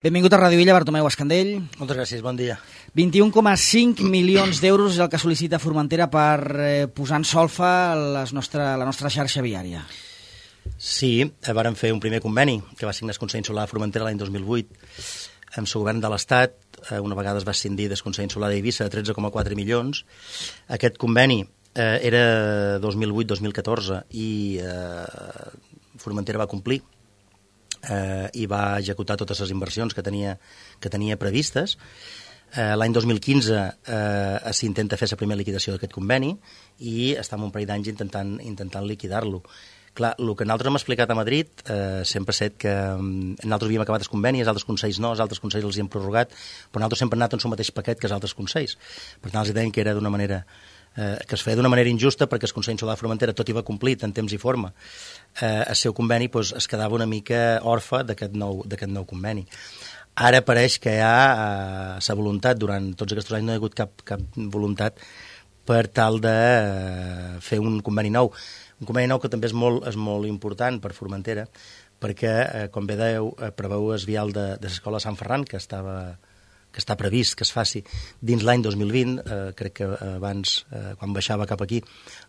Benvingut a Ràdio Illa, Bartomeu Escandell. Moltes gràcies, bon dia. 21,5 milions d'euros és el que sol·licita Formentera per posar en solfa la nostra xarxa viària. Sí, vàrem fer un primer conveni que va signar el Consell Insular de Formentera l'any 2008 amb el govern de l'Estat. Una vegada es va escindir del Consell Insular d'Eivissa de 13,4 milions. Aquest conveni era 2008-2014 i Formentera va complir i va executar totes les inversions que tenia previstes. L'any 2015 s'intenta fer la primera liquidació d'aquest conveni i estem un parell d'anys intentant liquidar-lo. Clar, el que nosaltres hem explicat a Madrid sempre ha set que nosaltres havíem acabat el conveni, els altres consells no, els altres consells els hi hem prorrogat, però nosaltres sempre hem anat en el mateix paquet que els altres consells. Per tant, els deien que era d'una manera que es feia d'una manera injusta perquè el Consell Insular de Formentera, tot i va complit en temps i forma el seu conveni, doncs es quedava una mica orfe d'aquest nou conveni. Ara pareix que hi ha la voluntat, durant tots aquests anys no hi ha hagut cap voluntat per tal de fer un conveni nou. Un conveni nou que també és molt important per Formentera, perquè, com bé dèieu, preveu el vial de l'escola Sant Ferran, que està previst que es faci dins l'any 2020. Crec que abans, quan baixava cap aquí,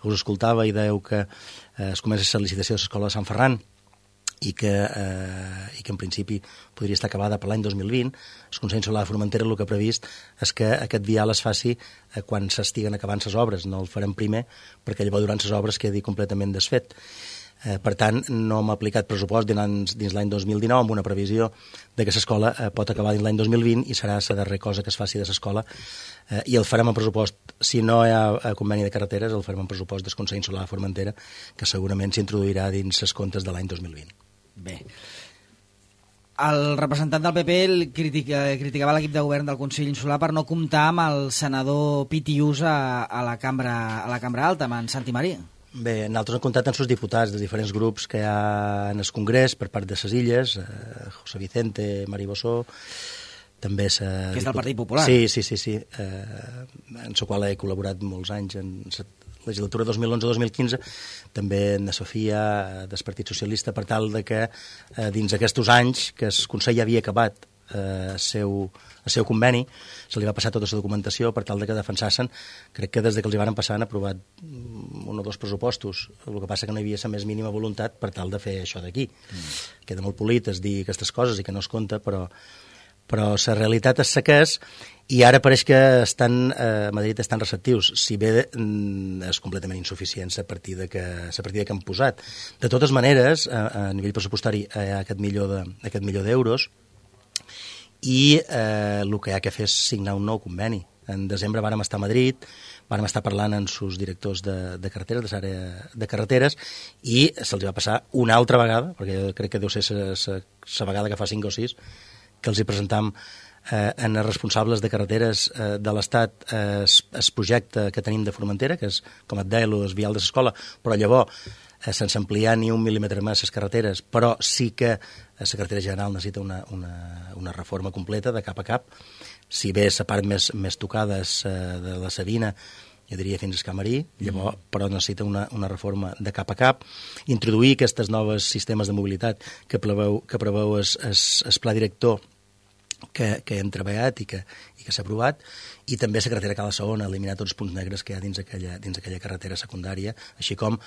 us escoltava i dèieu que es comença la licitació de l'escola de Sant Ferran i que en principi podria estar acabada per l'any 2020. El Consell Insular de Formentera el que ha previst és que aquest vial es faci quan s'estiguen acabant les obres. No el farem primer perquè llavors durant les obres quedi completament desfet. Per tant, no hem aplicat pressupost dins l'any 2019 amb una previsió de que l'escola pot acabar dins l'any 2020 i serà la darrera cosa que es faci de l'escola i el farem en pressupost. Si no hi ha conveni de carreteres, el farem en pressupost del Consell Insular de Formentera, que segurament s'introduirà dins els comptes de l'any 2020. Bé. El representant del PP criticava l'equip de govern del Consell Insular per no comptar amb el senador Pitiús a la cambra alta, amb en Santi Marí. Bé, nosaltres hem comptat amb els diputats dels diferents grups que hi ha en el Congrés per part de les illes, José Vicente, Mari Bossó, també que és del Partit Popular. Sí, en la qual he col·laborat molts anys en la legislatura 2011-2015, també en la Sofia del Partit Socialista, per tal de que dins aquests anys que el Consell ja havia acabat el seu conveni, se li va passar tota la documentació per tal de que defensassin. Crec que des que els hi van passar han aprovat 1 o 2 pressupostos. El que passa que no hi havia la més mínima voluntat per tal de fer això d'aquí. Queda molt polit es dir aquestes coses i que no es compta, però la realitat és la que és, i ara pareix que a Madrid estan receptius, si bé és completament insuficient la partida que han posat. De totes maneres, a nivell pressupostari hi ha aquest milió d'euros, i el que hi ha que fer és signar un nou conveni. En desembre vàrem estar a Madrid, vàrem estar parlant amb els directors de carreteres, de l'àrea de carreteres, i se'ls va passar una altra vegada, perquè crec que deu ser la vegada que fa 5 o 6, que els hi presentam en els responsables de carreteres de l'Estat el projecte que tenim de Formentera, que és, com et deia, el vial de l'escola, però llavors sense ampliar ni 1 mil·límetre més les carreteres, però sí que la carretera general necessita una reforma completa de cap a cap. Si bé la part més tocada és de la Sabina, jo diria fins al Camarí, llavors, però necessita una reforma de cap a cap. Introduir aquests nous sistemes de mobilitat que preveu el pla director que hem treballat i que s'ha aprovat, i també la carretera Cala Saona, eliminar tots els punts negres que hi ha dins aquella carretera secundària, així com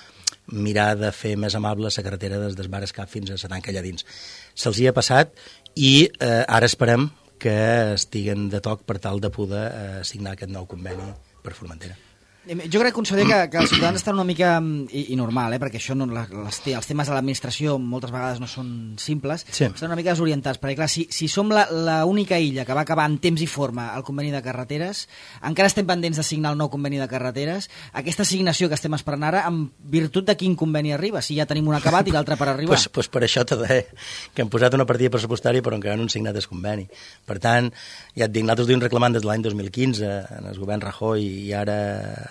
mirar de fer més amable la carretera des del Bar Escap fins a la tanca allà dins. Se'ls hi ha passat i ara esperem que estiguen de toc per tal de poder signar aquest nou conveni per Formentera. Jo crec, conseller, que els ciutadans estan una mica, i normal, perquè això els temes de l'administració moltes vegades no són simples, sí. Estan una mica desorientats, perquè clar, si som l'única illa que va acabar en temps i forma el conveni de carreteres, encara estem pendents de signar el nou conveni de carreteres, aquesta assignació que estem esperant ara, en virtut de quin conveni arriba, si ja tenim un acabat i l'altre per arribar. Pues per això t'ho deia, que hem posat una partida pressupostària però encara no han signat el conveni. Per tant, ja et dic, nosaltres duim reclamant des de l'any 2015 en el govern Rajoy i ara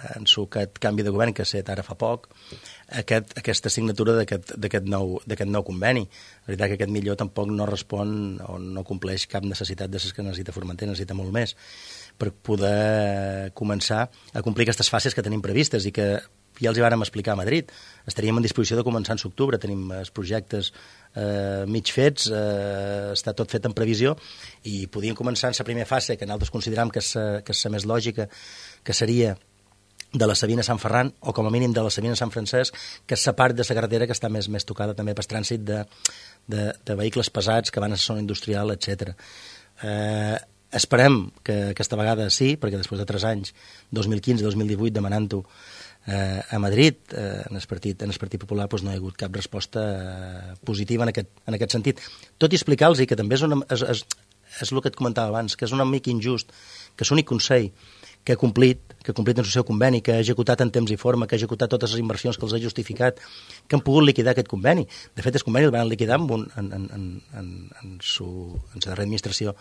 en aquest canvi de govern que ha estat ara fa poc, aquesta signatura d'aquest nou conveni. La veritat que aquest milió tampoc no respon o no compleix cap necessitat de les que necessita Formentera, necessita molt més per poder començar a complir aquestes fases que tenim previstes i que ja els hi vàrem explicar a Madrid. Estaríem en disposició de començar en l'octubre, tenim els projectes mig fets, està tot fet en previsió, i podíem començar en la primera fase, que nosaltres consideram que és la més lògica, que seria de la Sabina a Sant Ferran, o com a mínim de la Sabina a Sant Francesc, que és la part de la carretera que està més tocada també per trànsit de vehicles pesats que van a la zona industrial, etc. Esperem que aquesta vegada sí, perquè després de 3 anys, 2015-2018, demanant-ho a Madrid, en el Partit Popular, doncs no hi ha hagut cap resposta positiva en aquest sentit. Tot i explicar-los que també és el que et comentava abans, que és una mica injust, que l'únic Consell que ha complit en el seu conveni, que ha executat en temps i forma, que ha executat totes les inversions que els ha justificat, que han pogut liquidar aquest conveni. De fet, el conveni el van liquidar en la darrera administració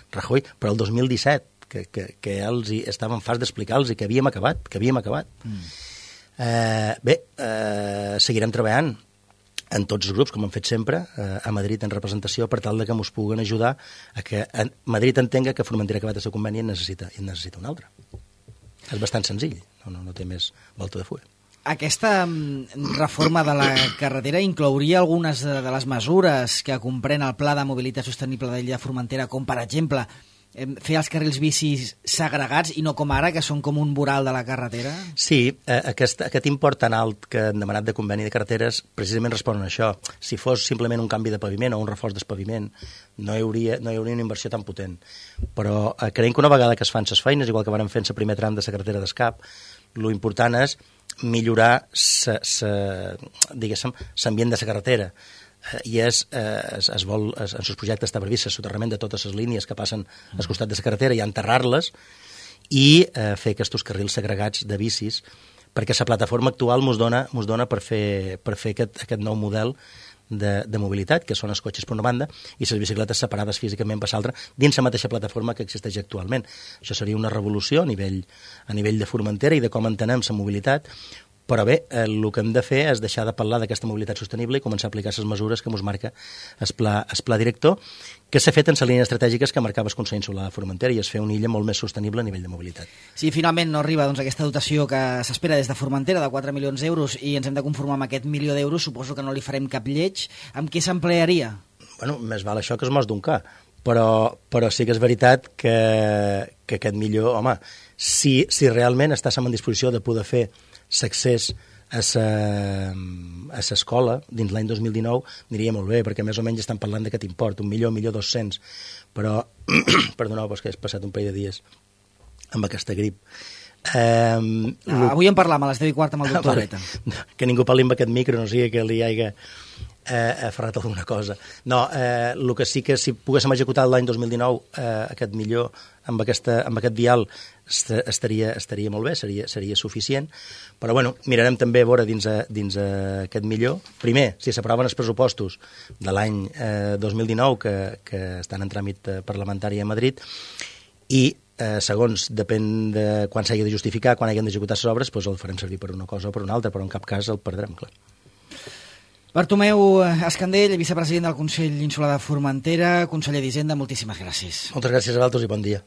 Rajoy, però el 2017, que els estàvem farts d'explicar-los que havíem acabat. Seguirem treballant en tots els grups, com hem fet sempre, a Madrid en representació, per tal de que ens puguen ajudar a que Madrid entenga que Formentera ha acabat el seu conveni i en necessita un altre. És bastant senzill, no té més volta de full. Aquesta reforma de la carretera inclouria algunes de les mesures que comprèn el Pla de Mobilitat Sostenible de l'illa de Formentera, com per exemple fer els carrils bicis segregats i no com ara, que són com un voral de la carretera? Sí, aquest import tan alt que han demanat de conveni de carreteres precisament respon a això. Si fos simplement un canvi de paviment o un reforç del paviment, no hi hauria una inversió tan potent. Però creiem que una vegada que es fan les feines, igual que vam fer en el primer tram de la carretera d'Escap, l'important és millorar l'ambient de la carretera. I en els projectes està previst el soterrament de totes les línies que passen al costat de la carretera i enterrar-les i fer aquests carrils segregats de bicis, perquè la plataforma actual ens dona per fer aquest nou model de mobilitat, que són els cotxes per una banda i les bicicletes separades físicament per l'altra dins la mateixa plataforma que existeix actualment. Això seria una revolució a nivell de Formentera i de com entenem la mobilitat. Però bé, el que hem de fer és deixar de parlar d'aquesta mobilitat sostenible i començar a aplicar les mesures que ens marca el pla director, que s'ha fet en les línies estratègiques que marcava el Consell Insular de Formentera, i és fer una illa molt més sostenible a nivell de mobilitat. Si finalment no arriba aquesta dotació que s'espera des de Formentera de 4 milions d'euros i ens hem de conformar amb aquest 1 milió d'euros, suposo que no li farem cap lleig. Amb què s'emplearia? Bueno, més val això que es mos d'un ca. Però sí que és veritat que aquest milió, home, si realment estàssim en disposició de poder fer l'accés a l'escola dins l'any 2019 aniria molt bé, perquè més o menys estan parlant d'aquest import, 1.200.000, però perdoneu, que he passat un parell de dies amb aquesta grip. Avui en parlam a les 10:15 amb el doctor Beta. Que ningú parli amb aquest micro, no sigui que li hagi aferrat alguna cosa. No, el que sí que si poguéssim executar l'any 2019 aquest milió amb aquest vial estaria molt bé, seria suficient, però bueno, mirarem també a veure dins aquest milió. Primer, si s'aproven els pressupostos de l'any 2019 que estan en tràmit parlamentari a Madrid, i segons, depèn de quan s'hagi de justificar, quan hagin d'executar les obres, doncs el farem servir per una cosa o per una altra, però en cap cas el perdrem, clar. Bartomeu Escandell, vicepresident del Consell Insular de Formentera, conseller d'Hisenda, moltíssimes gràcies. Moltes gràcies a vosaltres i bon dia.